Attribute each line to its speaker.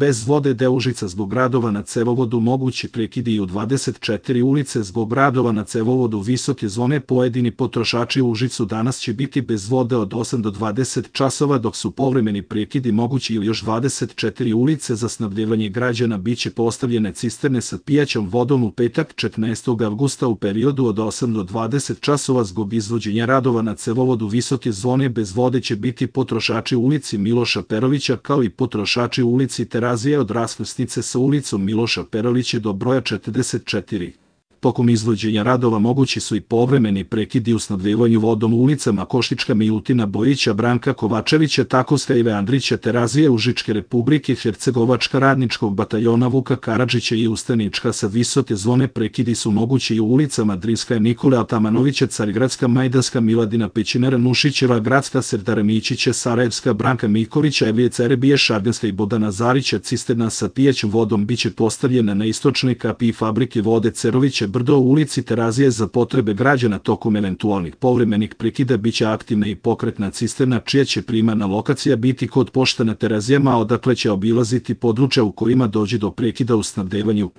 Speaker 1: bez vode deo Užica zbog radova na cevovodu, mogući prekidi i u 24 ulice zbog radova na cevovodu visoke zone. Pojedini potrošači u Užicu danas će biti bez vode od 8 do 20 časova, dok su povremeni prekidi mogući i u još 24 ulice. Za snabdevanje građana biće postavljene cisterne sa pijaćom vodom u petak 14. avgusta u periodu od 8 do 20 časova. Zbog izvođenja radova na cevovodu visoke zone bez vode će biti potrošači u ulici Miloša Perovića, kao i potrošači u ulici Terazije od raskrsnice sa ulicom Miloša Perovića do broja 44. Tokom izvođenja radova mogući su i povremeni prekidi u snabdevanju vodom u ulicama Koštička, Milutina Bojića, Branka Kovačevića, Takovska, Ive Andrića, Terazije, Užičke Republike, Hercegovačka, Radničkog bataljona Vuka Karadžića i Ustanička. Sa visoke zone prekidi su mogući i u ulicama Drinska, Nikole Atamanovića, Carigradska, Majdanska, Miladina Pećinara, Nušićeva, Gradska, Serdara Mićića, Sarajevska, Branka Mikolića, Evije Cerebije, Šarganska i Bodana Zarića. Cisterna sa pijaćom vodom biće postavljena na istočnoj kapiji fabrike vode Cerovića Brdo u ulici Terazije. Za potrebe građana tokom eventualnih povremenih prekida biće aktivna i pokretna cisterna, čija će primarna lokacija biti kod pošte na Terazijama, odakle će obilaziti područja u kojima dođe do prekida u snabdevanju.